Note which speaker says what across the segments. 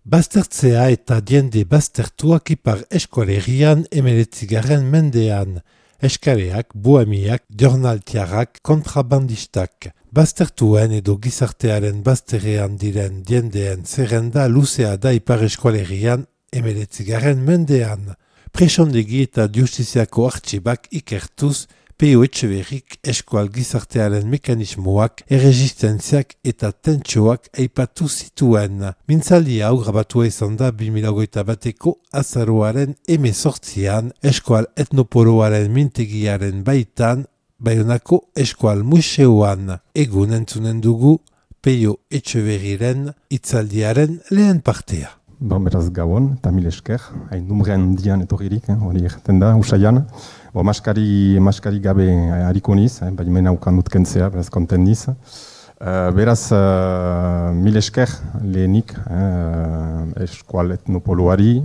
Speaker 1: Baztertzea eta diende baztertuak ipar eskualerian 19. mendean. Eskareak, bohemiak, jornaltiarrak, kontrabandistak. Baztertuen edo gizartearen bazterrean diren diendeen zerrenda luzea da ipar eskualerian 19. mendean. Presondegi eta justiziako artxibak ikertuz, P.O. Etxeberrik eskual gizartearen mekanismoak, erresistentziak eta tentsoak aipatu zituen. Mintzaldi hau grabatua izan da 2021ko azaroaren 18an eskual etnopoloaren mintegiaren baitan, Baionako eskual museoan. Egun entzunen dugu P.O. Etxeberriren hitzaldiaren lehen partea.
Speaker 2: Beraz gabon, eta mil esker, hain numrean dian etorririk, hori egiten da, usaian. Maskari gabe hariko niz, bai mena ukan dut kentzea, beraz konten niz. Beraz, mil esker lehenik eskual etnopoloari,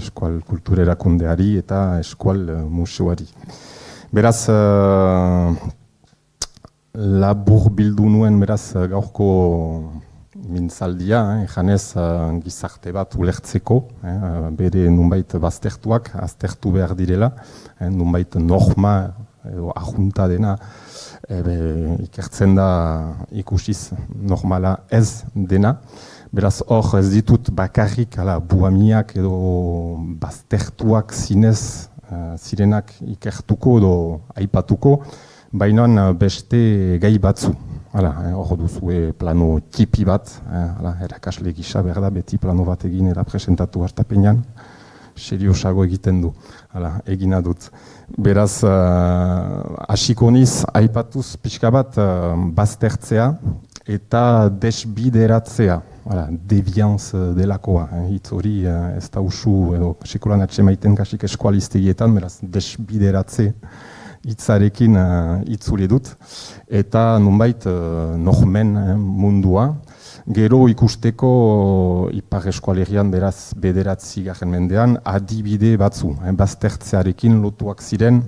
Speaker 2: eskual kulturerakundeari eta eskual museoari. Beraz, labur bildu nuen, beraz, gaurko mintzaldia, janez gizarte bat ulertzeko, bere nunbait baztertuak, aztertu behar direla, nunbait norma edo ajunta dena ikertzen da ikusiz normala ez dena. Beraz hor ez ditut bakarrik buhamiak edo baztertuak zinez zirenak ikertuko edo aipatuko, baina beste gai batzu. Hor duzue plano tipi bat, erakasle gisa behar da, beti plano bat egin presentatu hartapenean, seriosago egiten du, egina dut. Beraz, hasiko niz, aipatuz pixka bat baztertzea eta desbideratzea, devianz delakoa. Hitz hori ez da usu, edo sekulan atxemaiten kasik eskualistegietan, beraz, desbideratze hitzarekin itzuli dut, eta nunbait nohmen mundua. Gero ikusteko ipar eskualerian beraz bederatzigarren mendean adibide batzu, baztertzearekin lotuak ziren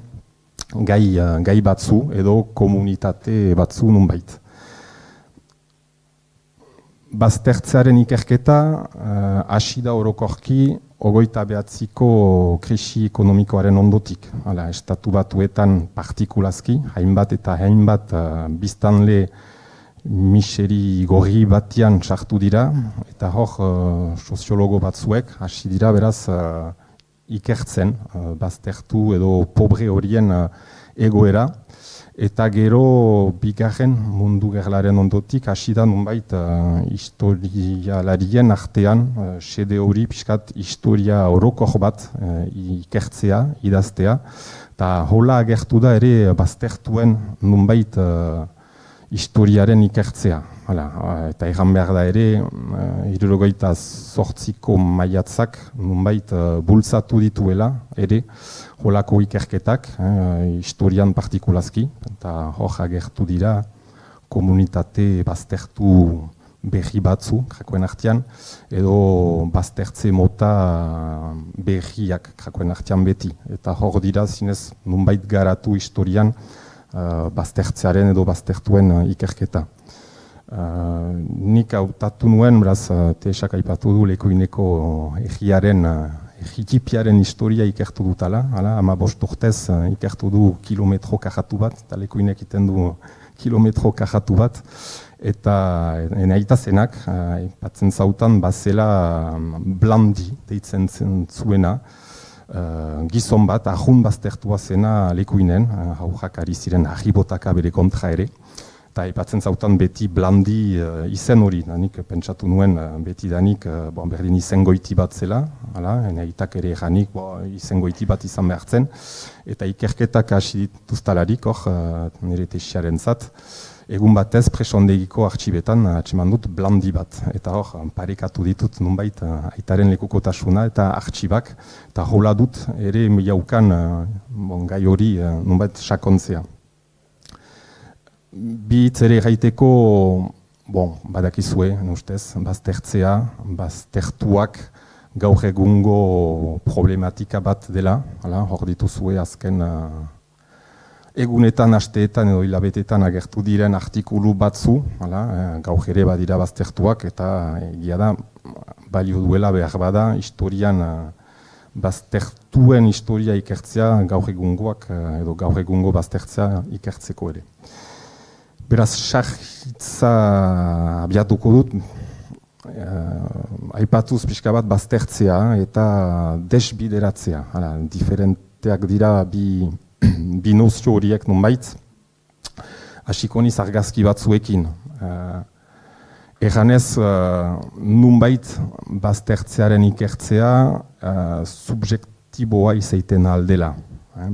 Speaker 2: gai batzu edo komunitate batzu nunbait. Baztertzearen ikerketa hasi da orokorki 29ko krisi ekonomikoaren ondotik. Estatu batuetan partikulazki, hainbat eta hainbat biztanle miseri gorri batian sartu dira, eta hor soziologo batzuek hasi dira beraz ikertzen, baztertu edo pobre horien egoera. Eta gero bigarren mundu gerlaren ondotik hasi da nunbait historialarien artean xede hori pixkat historia orokor bat ikertzea, idaztea. Eta hola agertu da ere baztertuen nunbait historiaren ikertzea. Eta egan behar da ere 78ko maiatzak nunbait bultzatu dituela ere holako ikerketak, historian partikulazki, eta hor agertu dira komunitate baztertu berri batzu, krakoen artean, edo baztertze mota berriak krakoen artean beti. Eta hor dira zinez nunbait garatu historian baztertzearen edo baztertuen ikerketa. Nik hautatu nuen, beraz, teesak aipatu du Lekoineko egiaren Egipiaren historia ikertu dutala, 15 urtez ikertu du kilometro kajatu bat, eta Lekoinek iten du kilometro kajatu bat, eta enaitazenak, aipatzen zautan, bazela blandi, deitzen zuena, gizon bat, ahun baztertua zena Lekoinen, haujak ari ziren ahibotaka bere kontra ere, eta aipatzen zautan beti blandi izen hori, nik pentsatu nuen beti danik berdin izengoiti bat zela, enaitak ere janik izengoiti bat izan behartzen, eta ikerketak hasi dituztalarik nire tesiaren zat, egun batez presondegiko artxibetan atseman dut blandi bat, eta parekatu ditut nunbait aitaren lekukotasuna eta artxibak, eta hola dut ere jaukan gai hori nunbait sakontzea. Bi hitz ere gaiteko, badakizue, ustez, baztertzea, baztertuak gaur egungo problematika bat dela, hor dituzue azken egunetan, asteetan edo hilabetetan agertu diren artikulu batzu, gaur ere badira baztertuak, eta egia da, balio duela behar bada, historian baztertuen historia ikertzea gaur egungoak edo gaur egungo baztertzea ikertzeko ere. Beraz, sarritza abiatuko dut, aipatuz pixka bat baztertzea eta desbideratzea. Diferenteak dira bi nozio horiek nonbait, hasiko niz argazki batzuekin. Eganez, nunbait baztertzearen ikertzea subjektiboa izaiten aldela.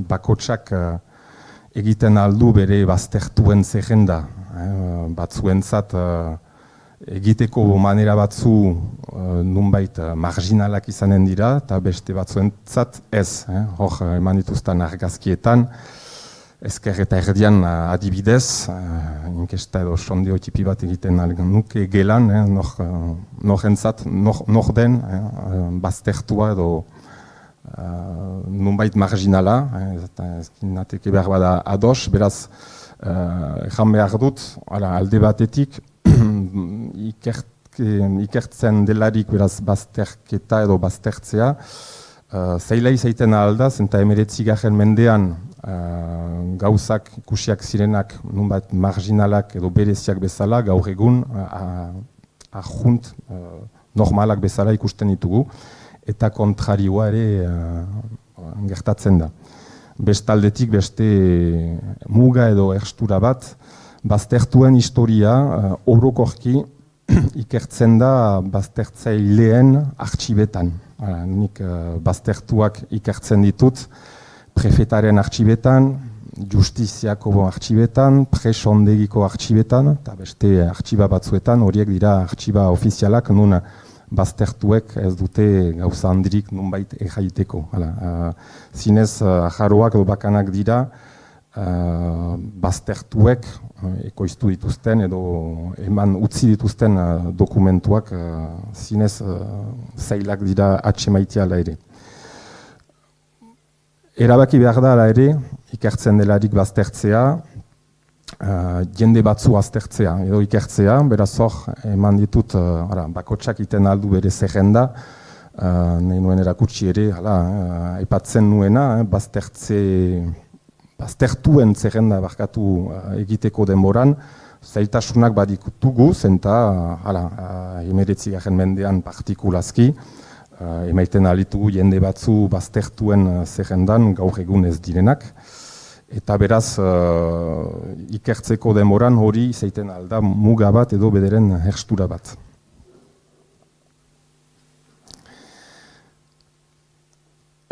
Speaker 2: Bakotsak egiten aldu bere baztertuen zerrenda. Batzuentzat egiteko manera batzu nunbait marginalak izanen dira, eta beste batzuentzat ez. Hor, eman dituzten argazkietan, ezker eta erdian adibidez, inkesta edo sondeo tipi bat egiten nuke gelan, norentzat, nor den baztertua edo nunbait marginala, ezkin nateke behar bada ados, beraz, ejan behar dut, alde batetik, ikertzen delarik beraz bazterketa edo baztertzea, zaila izaiten aldaz, eta 19. mendean gauzak ikusiak zirenak nunbait marginalak edo bereziak bezala, gaur egun ahunt normalak bezala ikusten ditugu, eta kontrarioa ere gertatzen da. Bestaldetik beste muga edo erstura bat, baztertuen historia orokorki ikertzen da baztertzaileen artxibetan. Nik baztertuak ikertzen ditut prefetaren artxibetan, justiziako artxibetan, presondegiko artxibetan, eta beste artxiba batzuetan, horiek dira artxiba ofizialak, nun baztertuek ez dute gauza handirik nunbait erraiteko. Zinez, ajaroak edo bakanak dira, baztertuek ekoiztu dituzten edo eman utzi dituzten dokumentuak zinez zailak dira atxemaitea ala ere. Erabaki behar da ala ere, ikertzen delarik baztertzea, jende batzu aztertzea edo ikertzea, beraz hor eman ditut bakotsak iten aldu bere zerrenda, nahi nuen erakutsi ere, aipatzen nuena, baztertuen zerrenda barkatu egiteko denboran, zailtasunak badikutugu, zenta 19. mendean partikulazki, emaiten alitugu jende batzu baztertuen zerrendan gaur egun ez direnak, eta beraz ikertzeko denboran hori izaiten alda muga bat edo bederen herstura bat.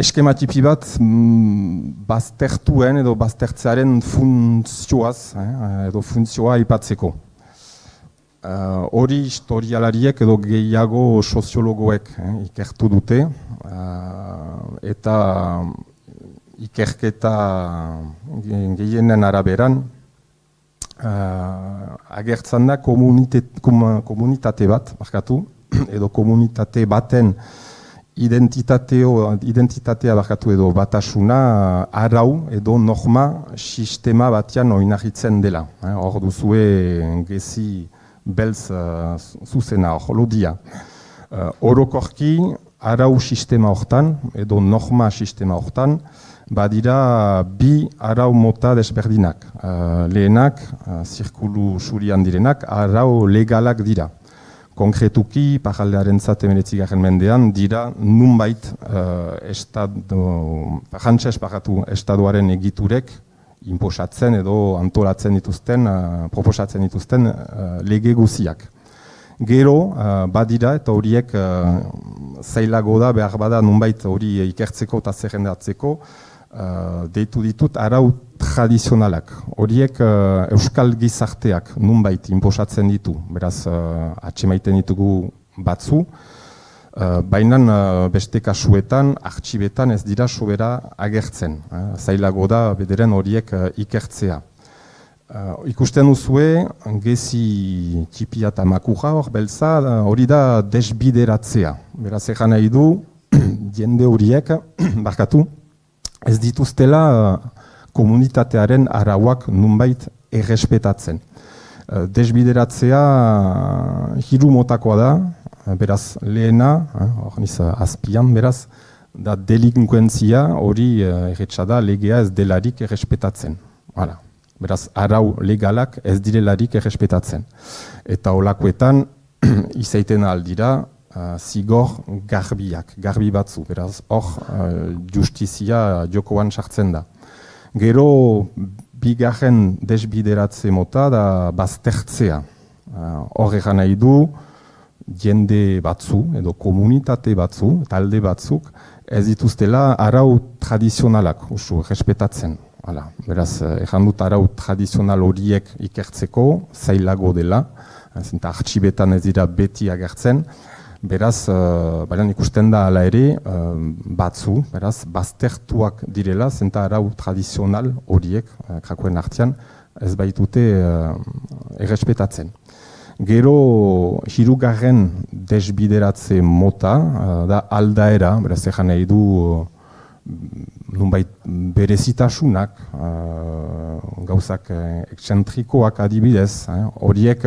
Speaker 2: Eskema tipi bat baztertuen edo baztertzearen funtzioaz edo funtzioa aipatzeko. Hori historialariek edo gehiago soziologoek ikertu dute eta ikerketa gehienen araberan agertzen da komunitate bat, edo komunitate baten identitatea barkatu edo batasuna arau edo norma sistema batean oinarritzen dela. Hor duzue gezi beltz zuzena, lodia. Orokorki arau sistema hortan edo norma sistema hortan badira bi arau mota desberdinak. Lehenak, zirkulu surian direnak, arau legalak dira. Konkretuki, pajaldearen zat 19. mendean, dira nunbait estaduaren egiturek inposatzen edo antolatzen dituzten, proposatzen dituzten lege guziak. Gero, badira eta horiek zailago da, behar bada nunbait hori ikertzeko eta zerrendatzeko, deitu ditut arau tradizionalak. Horiek euskal gizarteak nunbait inposatzen ditu, beraz atxemaiten ditugu batzu, baina beste kasuetan, artxibetan ez dira sobera agertzen. Zailago da bederen horiek ikertzea. Ikusten duzue, gezi txipia eta makurra hor beltza, hori da desbideratzea. Beraz egan nahi du, jende horiek, barkatu, ez dituztela komunitatearen arauak nunbait errespetatzen. Desbideratzea hiru motakoa da, beraz lehena, azpian beraz, da delinkuentzia hori erretxa da legea ez delarik errespetatzen. Hala. Beraz, arau legalak ez direlarik errespetatzen. Eta holakoetan, izaiten aldira, zigor garbi batzu. Beraz, hor, justizia jokoan sartzen da. Gero, bigarren desbideratze mota da baztertzea. Hor egan nahi du, jende batzu, edo komunitate batzu, talde batzuk, ez dituztela arau tradizionalak, usu, errespetatzen. Hala, beraz, egan dut arau tradizional horiek ikertzeko, zailago dela, zenta artxibetan ez dira beti agertzen, beraz, ikusten da ala ere, batzu, beraz, baztertuak direla, zenta arau tradizional horiek, krakoen artean, ez baitute errespetatzen. Gero, hirugarren desbideratze mota, da aldaera, beraz, egan nahi du, nunbait berezitasunak, gauzak eksentrikoak adibidez, horiek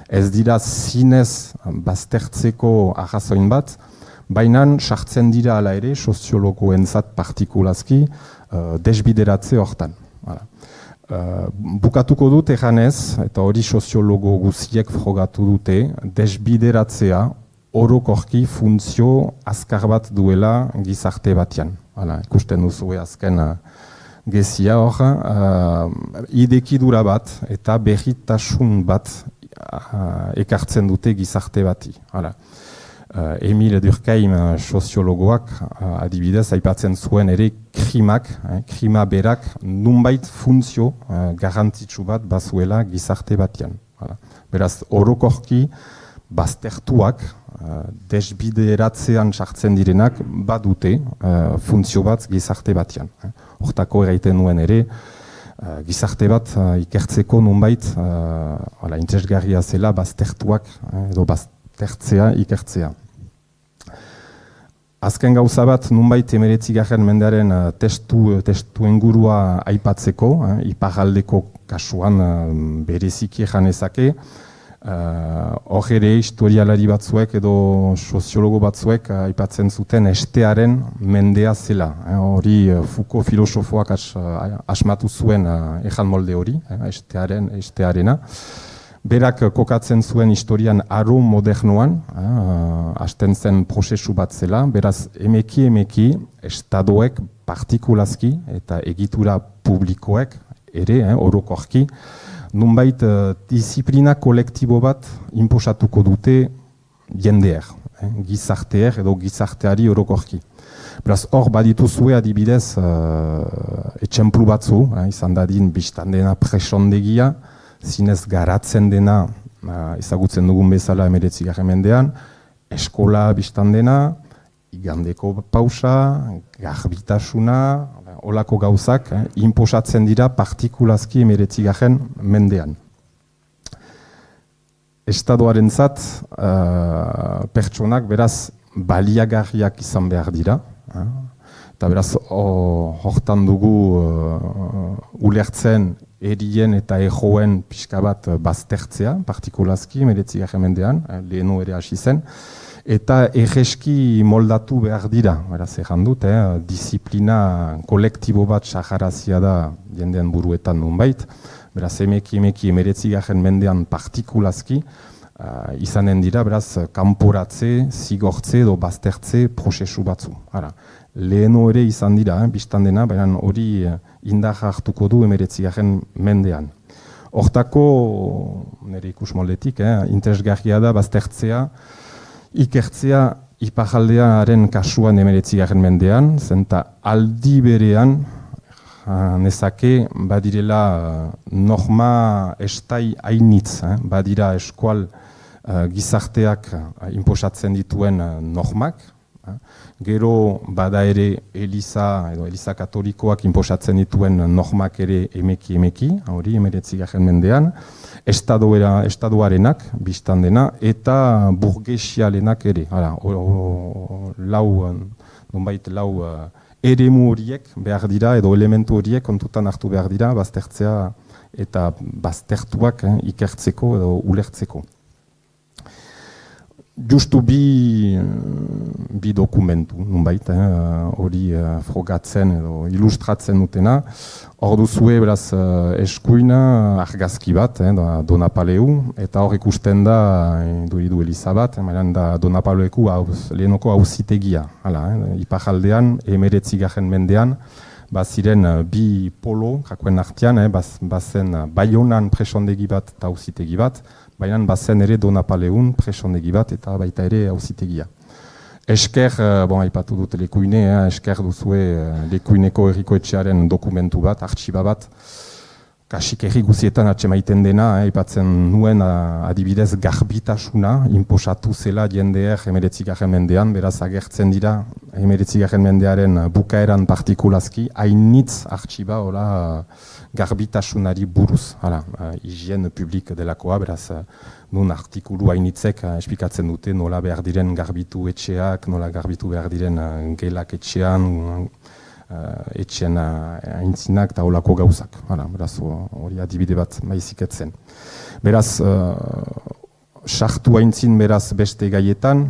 Speaker 2: ez dira zinez baztertzeko arrazoin bat, baina sartzen dira ala ere soziologoentzat partikulazki desbideratze hortan. Bukatuko dut eganez, eta hori soziologo guziek frogatu dute, desbideratzea orokorki funtzio azkar bat duela gizarte batean. Ikusten duzu azken gezia hor, idekidura bat eta berritasun bat ekartzen dute gizarte bati. Emile Durkheim soziologoak adibidez aipatzen zuen ere krima berak nunbait funtzio garrantzitsu bat bazuela gizarte batean. Beraz, orokorki baztertuak, desbideratzean sartzen direnak badute funtzio bat gizarte batean. Hortako eraiten nuen ere, gizarte bat ikertzeko nunbait interesgarria zela baztertuak edo baztertzea ikertzea. Azken gauza bat nunbait 19. mendearen testu ingurua aipatzeko, iparraldeko kasuan bereziki janezake, hor ere historialari batzuek edo soziologo batzuek aipatzen zuten estearen mendea zela. Hori Foucault filosofoak asmatu zuen ejan molde hori, estearena. Berak kokatzen zuen historian aro modernoan, hasten zen prozesu bat zela, beraz emeki estadoek partikulazki eta egitura publikoek ere, orokorki, nunbait disiplina kolektibo bat inposatuko dute jendeer, gizarteer edo gizarteari orokorki. Beraz, hor badituzue adibidez etxemplu batzu, izan dadin biztan dena presondegia, zinez garatzen dena, ezagutzen dugun bezala 19. mendean, eskola biztan dena, igandeko pausa, garbitasuna, olako gauzak, inposatzen dira partikulazki 19. mendean. Estadoaren zat, pertsonak beraz baliagarriak izan behar dira, eta beraz hortan dugu ulertzen erien eta ejoen pixka bat baztertzea, partikulazki 19. mendean, lehenu ere hasi zen, eta erreski moldatu behar dira, beraz egan dut, disiplina kolektibo bat saharazia da jendean buruetan nunbait, beraz emeki 19. mendean partikulazki, izanen dira, beraz kanporatze, zigortze edo baztertze prozesu batzu. Lehenu ere izan dira, biztan dena, baina hori indar hartuko du 19. mendean. Hortako, nire ikus moldetik, interesgarria da baztertzea, ikertzea iparraldearen kasuan 19. mendean, zenta aldi berean, nezake badirela norma estai hainitz, badira eskual gizarteak inposatzen dituen normak, gero bada ere Eliza edo Eliza Katolikoak inposatzen dituen normak ere emeki, hori 19. mendean, estadoarenak biztan dena eta burgesialenak ere. Lau eremu horiek behar dira, edo elementu horiek kontutan hartu behar dira, baztertzea eta baztertuak ikertzeko edo ulertzeko. Justu bi dokumentu, nunbait, hori frogatzen edo ilustratzen dutena. Hor duzue, beraz, eskuina argazki bat, Donapaleu, eta hor ikusten da, duridu Eliza bat, da Donapaleueko lehenoko auzitegia. Iparraldean, 19. mendean, baziren bi polo, jakoen artean, bazen Baionan presondegi bat eta auzitegi bat, baina bazen ere Donapaleun presondegi bat eta baita ere auzitegia. Esker, aipatu dut lekuine, esker duzue lekuineko herriko etxearen dokumentu bat, artxiba bat, kasik herri guzietan atsemaiten dena, aipatzen nuen adibidez garbitasuna, inposatu zela jendeer 19. mendean, beraz agertzen dira 19. mendearen bukaeran partikulazki, hainitz artxiba garbitasunari buruz, higien publik delakoa, beraz nun artikulu hainitzek esplikatzen dute nola behar diren garbitu etxeak, nola garbitu behar diren gelak etxean, etxean aintzinak eta holako gauzak. Beraz, hori adibide bat maiziketzen. Beraz, sartu aintzin beraz beste gaietan,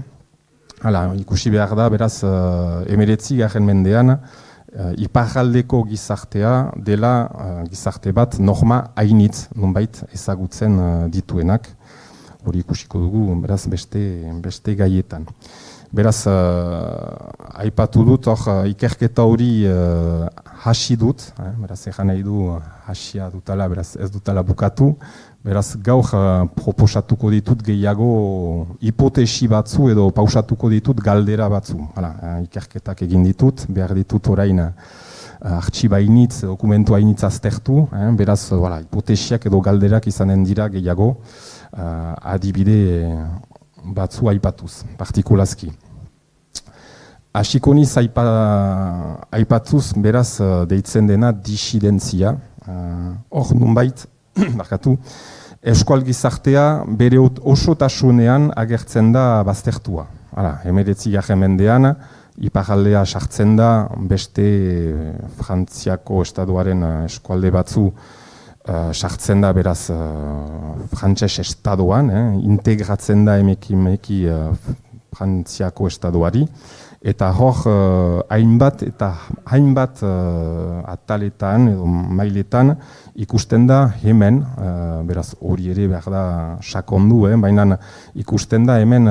Speaker 2: ikusi behar da, beraz, 19. mendean, iparraldeko gizartea dela gizarte bat norma hainitz, nonbait ezagutzen dituenak. Hori ikusiko dugu, beraz, beste gaietan. Beraz, aipatu dut, ikerketa hori hasi dut, beraz, egan nahi du hasia dutala, beraz, ez dutala bukatu, beraz, gaur proposatuko ditut gehiago hipotesi batzu edo pausatuko ditut galdera batzu. Ikerketak egin ditut, behar ditut orain artxiba hainitz, dokumentu hainitz aztertu, beraz, hipotesiak edo galderak izanen dira gehiago, adibide batzu aipatuz, partikulazki. Hasiko niz aipatuz, beraz, deitzen dena disidentzia. Hor, nunbait, eskual gizartea bere osotasunean agertzen da baztertua. 19. mendean, iparraldea sartzen da beste Frantziako estaduaren eskualde batzu sartzen da beraz frantses estadoan, integratzen da emeki Frantziako estaduari, eta hor hainbat ataletan edo mailetan ikusten da hemen, beraz hori ere behar da sakondu, baina ikusten da hemen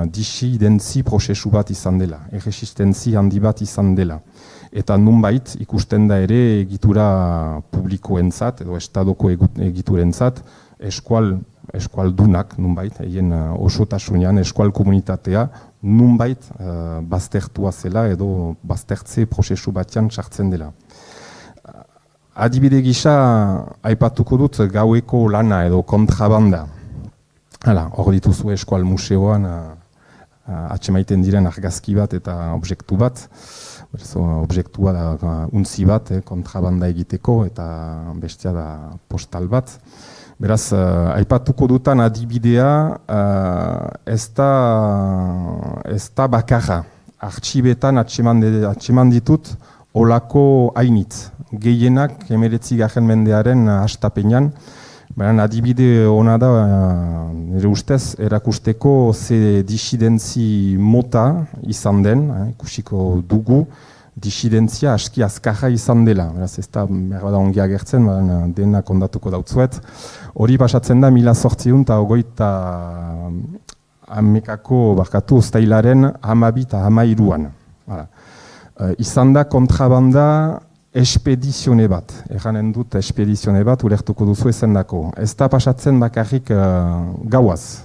Speaker 2: disidentzi prozesu bat izan dela, erresistentzi handi bat izan dela. Eta nunbait ikusten da ere egitura publikoentzat edo estadoko egiturentzat eskualdunak nunbait, egin osotasunean eskual komunitatea nunbait baztertua zela edo baztertze prozesu batean sartzen dela. Adibide gisa aipatuko dut gaueko lana edo kontrabanda. Hor dituzu eskual museoan atsemaiten diren argazki bat eta objektu bat. Objektua da untzi bat, kontrabanda egiteko, eta bestia da postal bat. Beraz, aipatuko dutan adibidea ez da bakarra. Artxibetan atseman ditut olako hainitz. Gehienak 19. mendearen hastapenean. Adibide hona da, nire ustez, erakusteko ze disidentzi mota izan den, ikusiko dugu, disidentzia aski azkarra izan dela. Beraz, ez da berbada ongi agertzen, dena kondatuko dautzuet. Hori pasatzen da 1880 barkatu uztailaren 12 eta 13an. Izan da kontrabanda espedizione bat, erranen dut espedizione bat, ulertuko duzu ezendako. Ez da pasatzen bakarrik gauaz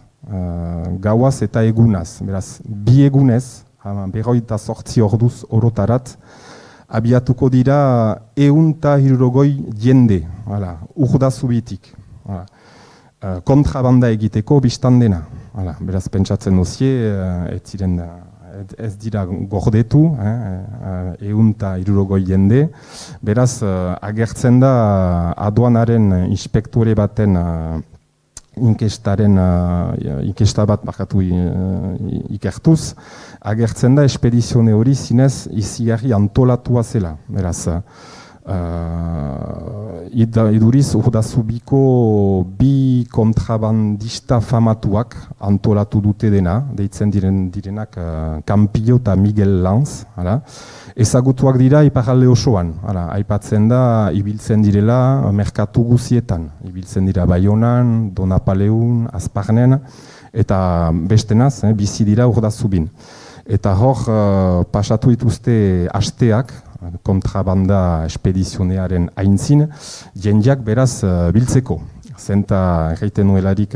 Speaker 2: eta egunaz. Beraz, bi egunez, 48 orduz orotarat, abiatuko dira 160 jende, urda zubitik. Kontrabanda egiteko biztan dena. Beraz, pentsatzen duzie, ez dira gordetu, 160 jende. Beraz, agertzen da aduanaren inspektore baten inkesta bat ikertuz, agertzen da espedizione hori zinez izigarri antolatua zela. Beraz, iduriz urdazubiko bi kontrabandista famatuak antolatu dute dena, deitzen direnak Campillo eta Miguel Lanz, ezagutuak dira iparralde osoan, aipatzen da ibiltzen direla merkatu guzietan, ibiltzen dira Baionan, Donapaleun, Azparnen, eta bestenaz, bizi dira urdazubin. Eta hor pasatu dituzte asteak, kontrabanda espedizionearen aintzin, jendeak beraz biltzeko. Zenta erraiten nuelarik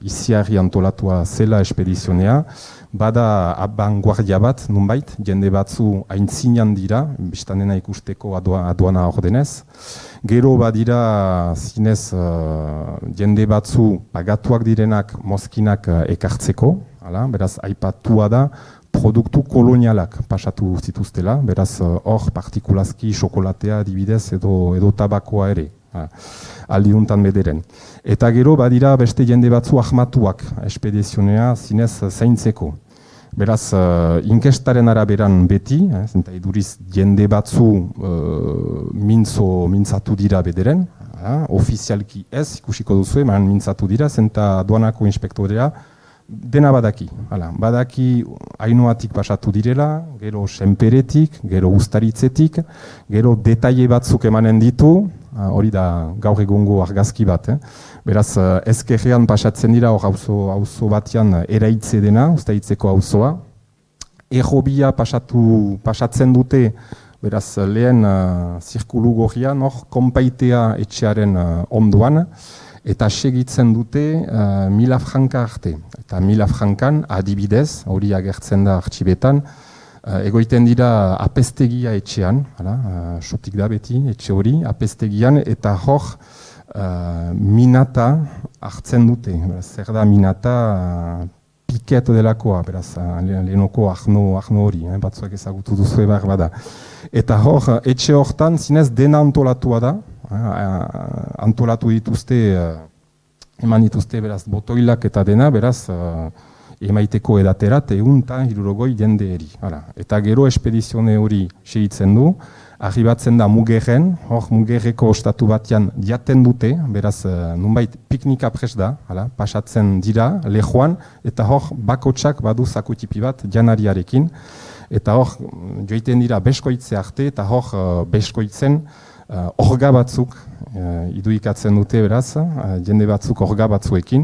Speaker 2: iziarri antolatua zela espedizionea, bada abanguardia bat, nunbait, jende batzu aintzinan dira, biztanena ikusteko aduana ordenez. Gero badira zinez jende batzu pagatuak direnak mozkinak ekartzeko, beraz aipatua da, produktu kolonialak pasatu zituztela, beraz hor partikulazki xokolatea adibidez edo tabakoa ere, aldiuntan bederen. Eta gero badira beste jende batzu ahmatuak espedizionea zinez zaintzeko. Beraz, inkestaren araberan beti, zenta iduriz jende batzu mintzatu dira bederen, ofizialki ez, ikusiko duzu, mintzatu dira, zenta aduanako inspektorea, dena badaki, badaki Ainoatik pasatu direla, gero Senperetik, gero Uztaritzetik, gero detaile batzuk emanen ditu, hori da gaur egungo argazki bat. Beraz, ezkerrean pasatzen dira, hor auzo batean eraitze dena, Uztaritzeko auzoa. Errobia pasatzen dute, beraz, lehen zirkulu gorrian, hor konpaitea etxearen ondoan, eta segitzen dute 1000 franka arte. Eta 1000 frankan adibidez, hori agertzen da artxibetan, egoiten dira apestegia etxean, sotik da beti etxe hori, apestegian, eta hor minata hartzen dute. Zer da minata piket delakoa, beraz, lehenoko arno hori, batzuek ezagutu duzu ebar bada. Eta hor, etxe hortan zinez dena antolatua da, antolatu dituzte, eman dituzte beraz botoilak eta dena, beraz emaiteko edaterat eta 160 jende eri. Eta gero espedizione hori segitzen du, arribatzen da Mugerren, hor Mugerreko ostatu batean jaten dute, beraz nunbait piknika pres da, pasatzen dira lehoan, eta hor bakotsak badu zakutipi bat janariarekin, eta hor joiten dira beskoitze arte, eta hor beskoitzen orga batzuk iduikatzen dute, beraz, jende batzuk orga batzuekin,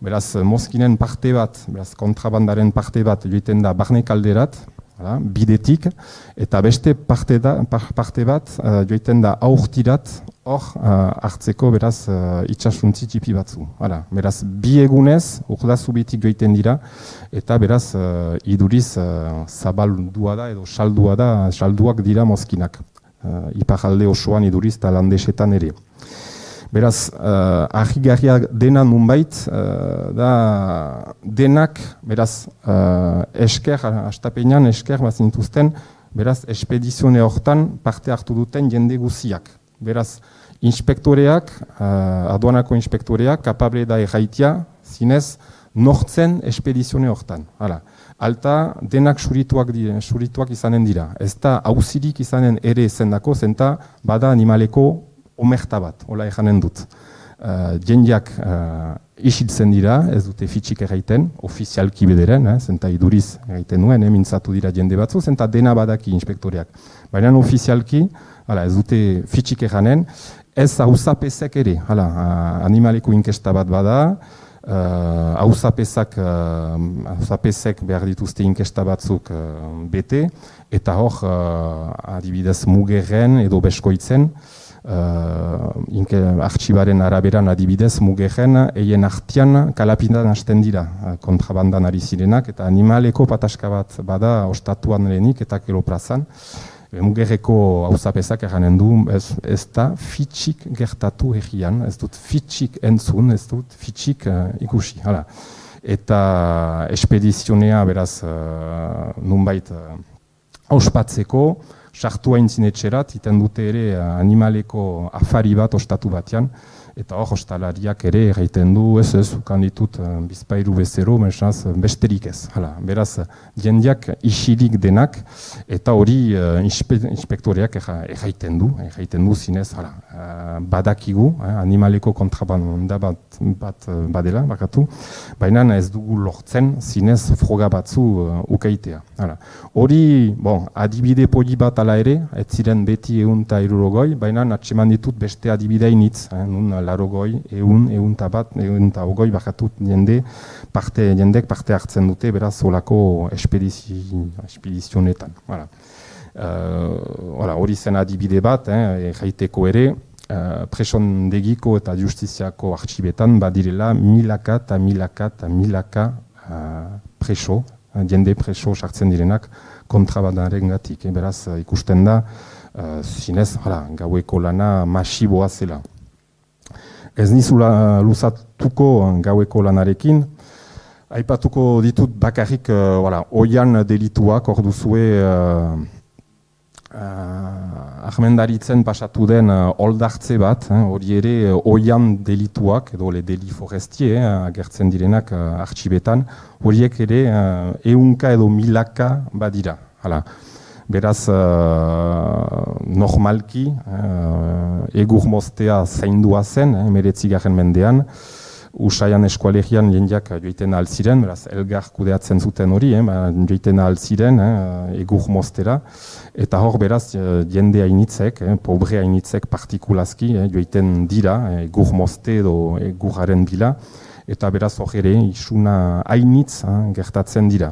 Speaker 2: beraz, mozkinen parte bat, beraz, kontrabandaren parte bat joiten da barne kalderat, bidetik, eta beste parte bat joiten da aurtirat, hor hartzeko, beraz, itxasuntzi txipi batzu. Beraz, bi egunez, urdazubitik joiten dira, eta beraz, iduriz zabaldua da, edo salduak dira mozkinak. Iparralde osoan iduriz eta landesetan ere. Beraz, argigarria dena nunbait, da denak, beraz, esker, astapenean esker bazintuzten, beraz, espedizione hortan parte hartu duten jende guziak. Beraz, inspektoreak, aduanako inspektoreak, kapable da erraitia, zinez, nortzen espedizione hortan. Alta, denak surituak izanen dira. Ez da hauzirik izanen ere zendako, zenta bada animaleko omerta bat, hola ejanen dut. Jendeak isiltzen dira, ez dute fitxik erraiten, ofizialki bederen, zenta iduriz erraiten nuen, mintzatu dira jende batzu, zenta dena badaki inspektoreak. Baina ofizialki, ez dute fitxik erranen, ez hauzapezek ere, animaleko inkesta bat bada, hauzapezek behar dituzte inkesta batzuk bete, eta hor, adibidez Mugerren edo Beskoitzen, artxibaren araberan adibidez Mugerren, eien artian kalapinan hasten dira kontrabandan ari zirenak, eta animaleko pataska bat bada ostatuan lehenik eta keloprazan. Mugerreko hauzapezak eranen du, ez da fitxik gertatu egian, ez dut fitxik entzun, ez dut fitxik ikusi. Eta espedizionea beraz nunbait ospatzeko, sartu haintzin etxerat, iten dute ere animaleko afari bat ostatu batean, Eta hor, hostalariak ere erraiten du, ez, ukan ditut bizpairu bezero, mesaz, besterik ez. Hala, beraz, jendeak isilik denak, eta hori inspektoreak erraiten du zinez, hala, badakigu, animaleko kontrabanda bat badela, bakatu, baina ez dugu lortzen zinez froga batzu ukaitea. Hala. Hori, bon, adibide poli bat ala ere, ez ziren beti 150, baina atseman ditut beste adibidea initz, nun larogoi, ehunta ogoi bakatut jendek parte hartzen dute, beraz olako espedizionetan. Hori zen adibide bat, jaiteko ere, presondegiko eta justiziako artxibetan badirela milaka preso, jende preso sartzen direnak kontrabandaren gatik. Beraz ikusten da, zinez, gaueko lana masiboa zela. Ez nizula luzatuko gaueko lanarekin, aipatuko ditut bakarrik oian delituak, hor duzue ahmendaritzen pasatu den oldartze bat, hori ere oian delituak, edo le deli forestie, agertzen direnak artxibetan, horiek ere ehunka edo milaka badira. Beraz, normalki, egur moztea zaindua zen, 19. mendean, Usaian eskualegian jendeak joiten alziren, beraz, elgar kudeatzen zuten hori, joiten alziren, egur moztera, eta hor beraz, jende hainitzek, pobre hainitzek partikulazki, joiten dira, egur mozte edo eguraren bila, eta beraz hor ere, isuna hainitz gertatzen dira.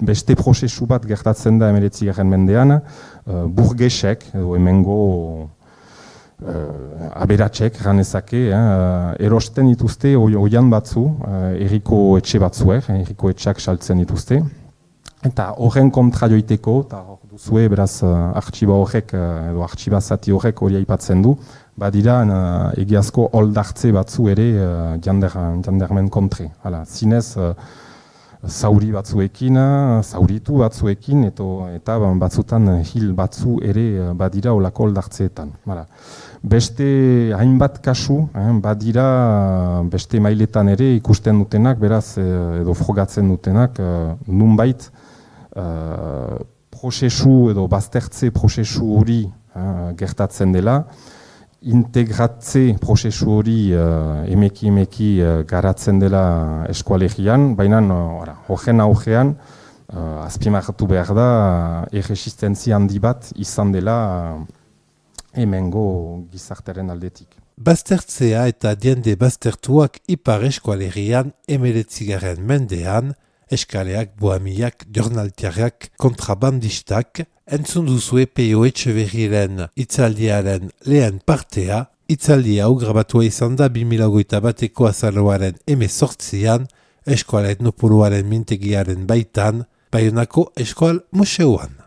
Speaker 2: Beste prozesu bat gertatzen da 19. mendean, burgesek, edo hemengo aberatsek, ganezake, erosten dituzte oian batzu, herriko etxe batzuek, herriko etxeak saltzen dituzte. Eta horren kontra joiteko, eta hor duzue, beraz, artxiba horrek, edo artxibazati horrek hori aipatzen du, badira egiazko oldartze batzu ere jandarmen kontre. Zinez, zauri batzuekin, zauritu batzuekin, eta batzutan hil batzu ere badira olako oldartzeetan. Beste hainbat kasu, badira beste mailetan ere ikusten dutenak, beraz, edo frogatzen dutenak, nunbait prozesu edo baztertze prozesu hori gertatzen dela, integratze prozesu hori emeki garatzen dela eskualegian, baina horren augean azpimarratu behar da erresistentzia handi bat izan dela hemengo gizartaren aldetik.
Speaker 1: Baztertzea eta jende baztertuak ipar eskualerian 19. mendean, eskaleak, bohemiak, jornaltiarrak, kontrabandistak, entzun duzue P.O. Etxeberriren itzaldiaren lehen partea, itzaldia hau grabatua izan da 2021 azaroaren 18an, eskual etnopoloaren mintegiaren baitan, Baionako Eskual Museoan.